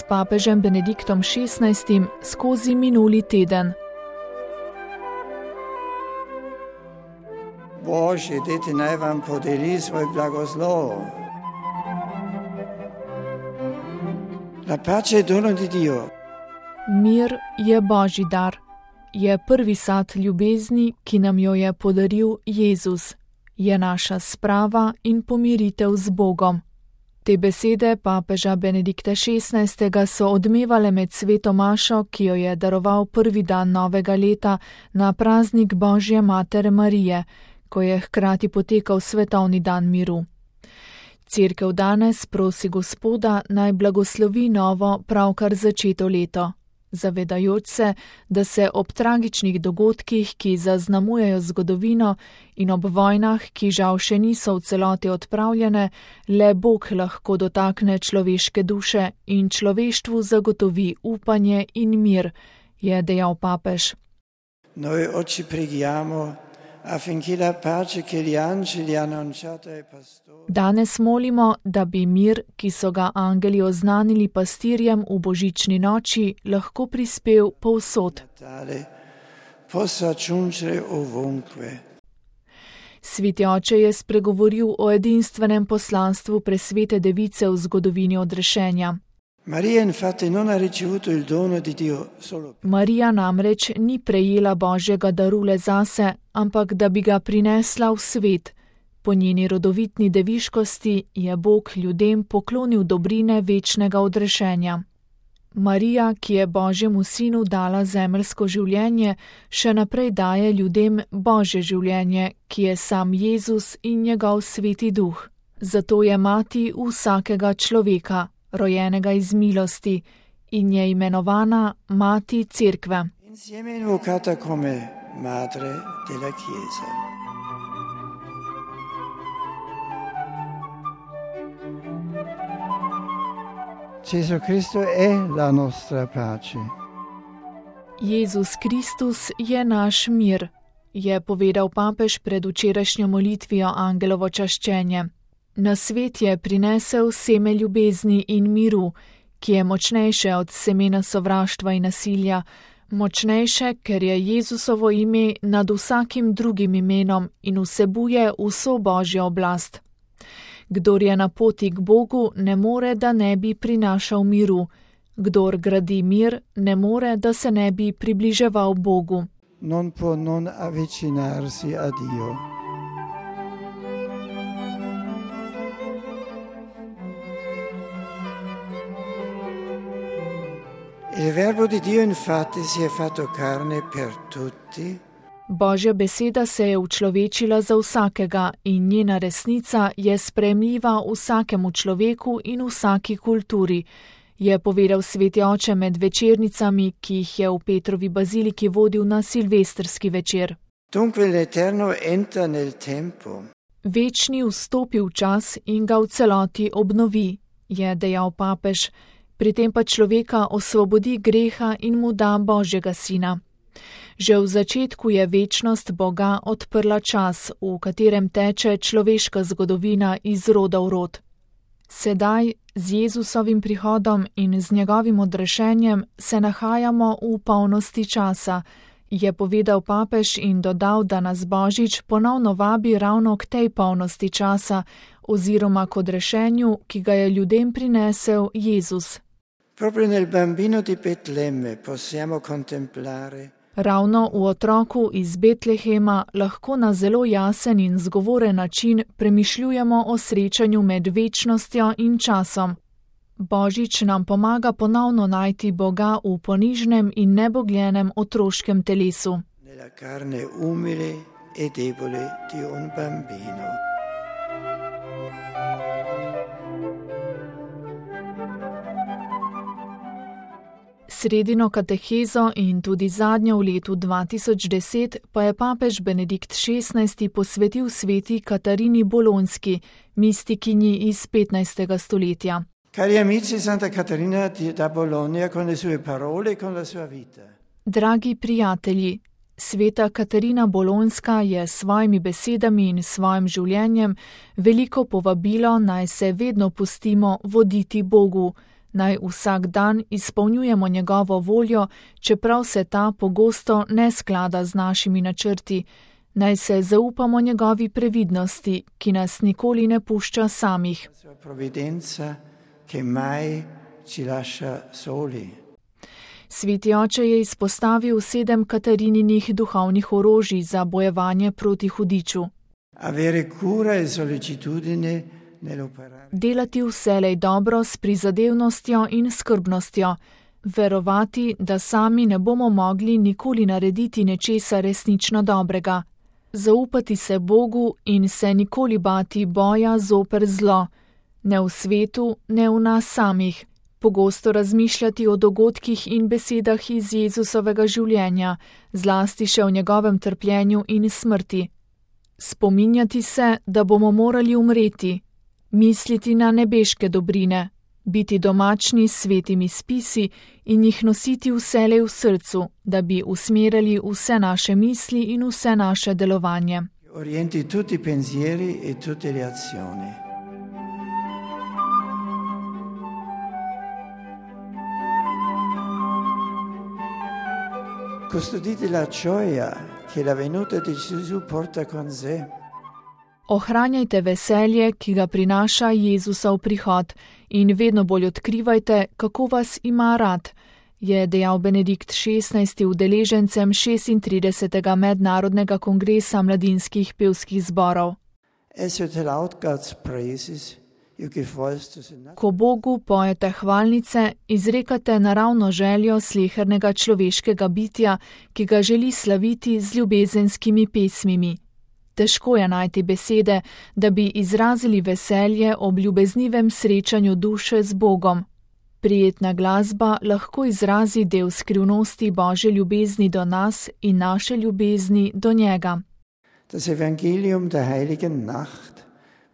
s papežem Benediktom XVI skozi minuli teden. Božje dete naj vam podeli svoj blagoslov. La pace è dono di Dio. Mir je Božji dar. Je prvi sad ljubezni, ki nam jo je podaril Jezus. Je naša sprava in pomiritev z Bogom. Te besede papeža Benedikta XVI so odmevale med sveto mašo, ki jo je daroval prvi dan novega leta na praznik Božje matere Marije, ko je hkrati potekal svetovni dan miru. Cerkev danes prosi Gospoda, naj blagoslovi novo, pravkar začeto leto, zavedajoč se, da se ob tragičnih dogodkih, ki zaznamujejo zgodovino, in ob vojnah, ki žal še niso v celoti odpravljene, le Bog lahko dotakne človeške duše in človeštvu zagotovi upanje in mir, je dejal papež. Noi oggi preghiamo affinché la pace che gli angeli hanno annunciato ai pastori. Danes molimo, da bi mir, ki so ga angeli oznanili pastirjem v božični noči, lahko prispel povsod. Possa aggiungere ovunque. Sveti oče je spregovoril o edinstvenem poslanstvu presvete device v zgodovini odrešenja. Marija namreč ni prejela Božjega daru le zase, ampak da bi ga prinesla v svet. Po njeni rodovitni deviškosti je Bog ljudem poklonil dobrine večnega odrešenja. Marija, ki je Božjemu sinu dala zemeljsko življenje, še naprej daje ljudem Božje življenje, ki je sam Jezus in njegov sveti duh. Zato je mati vsakega človeka, rojenega iz milosti, in je imenovana mati cerkve. Insieme invocata come madre della Chiesa. Gesù Cristo è la nostra pace. Jezus Kristus je naš mir, je povedal papež pred včerajšnjo molitvijo angelovo čaščenje. Na svet je prinesel seme ljubezni in miru, ki je močnejše od semena sovraštva in nasilja, močnejše, ker je Jezusovo ime nad vsakim drugim imenom in vsebuje vso Božjo oblast. Kdor je na poti k Bogu, ne more, da ne bi prinašal miru. Kdor gradi mir, ne more, da se ne bi približeval Bogu. Non può non avvicinarsi a Dio. Il verbo di Dio infatti si è fatto carne per tutti. Božja beseda se je učlovečila za vsakega in njena resnica je sprejemljiva vsakemu človeku in vsaki kulturi, je povedal sveti oče med večernicami, ki jih je v Petrovi baziliki vodil na silvestrski večer. Dunque l'Eterno entra nel tempo. Večni vstopi v čas in ga v celoti obnovi, je dejal papež, pri tem pa človeka osvobodi greha in mu da Božjega sina. Že v začetku je večnost Boga odprla čas, v katerem teče človeška zgodovina iz roda v rod. Sedaj, z Jezusovim prihodom in z njegovim odrešenjem, se nahajamo v polnosti časa, je povedal papež in dodal, da nas Božič ponovno vabi ravno k tej polnosti časa oziroma k odrešenju, ki ga je ljudem prinesel Jezus. Proprio nel bambino di Betlemme possiamo contemplare. Ravno v otroku iz Betlehema lahko na zelo jasen in zgovoren način premišljujemo o srečanju med večnostjo in časom. Božič nam pomaga ponovno najti Boga v ponižnem in nebogljenem otroškem telesu. Nella carne umile e debole di un bambino. Sredino katehezo in tudi zadnjo v letu 2010 pa je papež Benedikt XVI posvetil sveti Katarini Bolonski, mistikinji iz 15. stoletja. Cari amici, Santa Caterina da Bologna con le sue parole e con la sua vita. Dragi prijatelji, sveta Katarina Bolonska je s svojimi besedami in svojim življenjem veliko povabilo, naj se vedno pustimo voditi Bogu, Naj vsak dan izpolnjujemo njegovo voljo, čeprav se ta pogosto ne sklada z našimi načrti. Naj se zaupamo njegovi previdnosti, ki nas nikoli ne pušča samih. Sveti oče je izpostavil 7 Katarininih duhovnih orožij za bojevanje proti hudiču. Delati vselej dobro s prizadevnostjo in skrbnostjo, verovati, da sami ne bomo mogli nikoli narediti nečesa resnično dobrega, zaupati se Bogu in se nikoli bati boja zoper zlo, ne v svetu, ne v nas samih, pogosto razmišljati o dogodkih in besedah iz Jezusovega življenja, zlasti še o njegovem trpljenju in smrti. Spominjati se, da bomo morali umreti, misliti na nebeške dobrine, biti domačni s svetimi spisi in jih nositi vselej v srcu, da bi usmerjali vse naše misli in vse naše delovanje. Orienti tutti i pensieri e tutte le azioni. Custodite la gioia che la venuta di Gesù porta con sé. Ohranjajte veselje, ki ga prinaša Jezusov prihod, in vedno bolj odkrivajte, kako vas ima rad, je dejal Benedikt XVI udeležencem 36. mednarodnega kongresa mladinskih pevskih zborov. Ko Bogu pojete hvalnice, izrekate naravno željo slehernega človeškega bitja, ki ga želi slaviti z ljubezenskimi pesmimi. Težko je najti besede, da bi izrazili veselje ob ljubeznivem srečanju duše z Bogom. Prijetna glasba lahko izrazi del skrivnosti Božje ljubezni do nas in naše ljubezni do njega. Das Evangelium der heiligen Nacht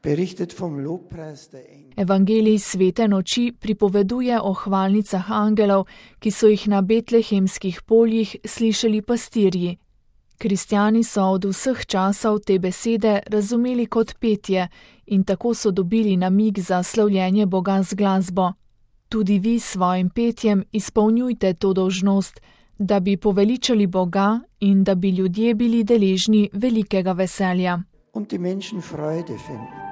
berichtet vom Lobpreis der Engel. Evangelij svete noči pripoveduje o hvalnicah angelov, ki so jih na betlehemskih poljih slišali pastirji. Kristjani so od vseh časov te besede razumeli kot petje in tako so dobili namig za slavljenje Boga z glasbo. Tudi vi s svojim petjem izpolnjujte to dolžnost, da bi poveličali Boga in da bi ljudje bili deležni velikega veselja. Und die Menschen Freude finden.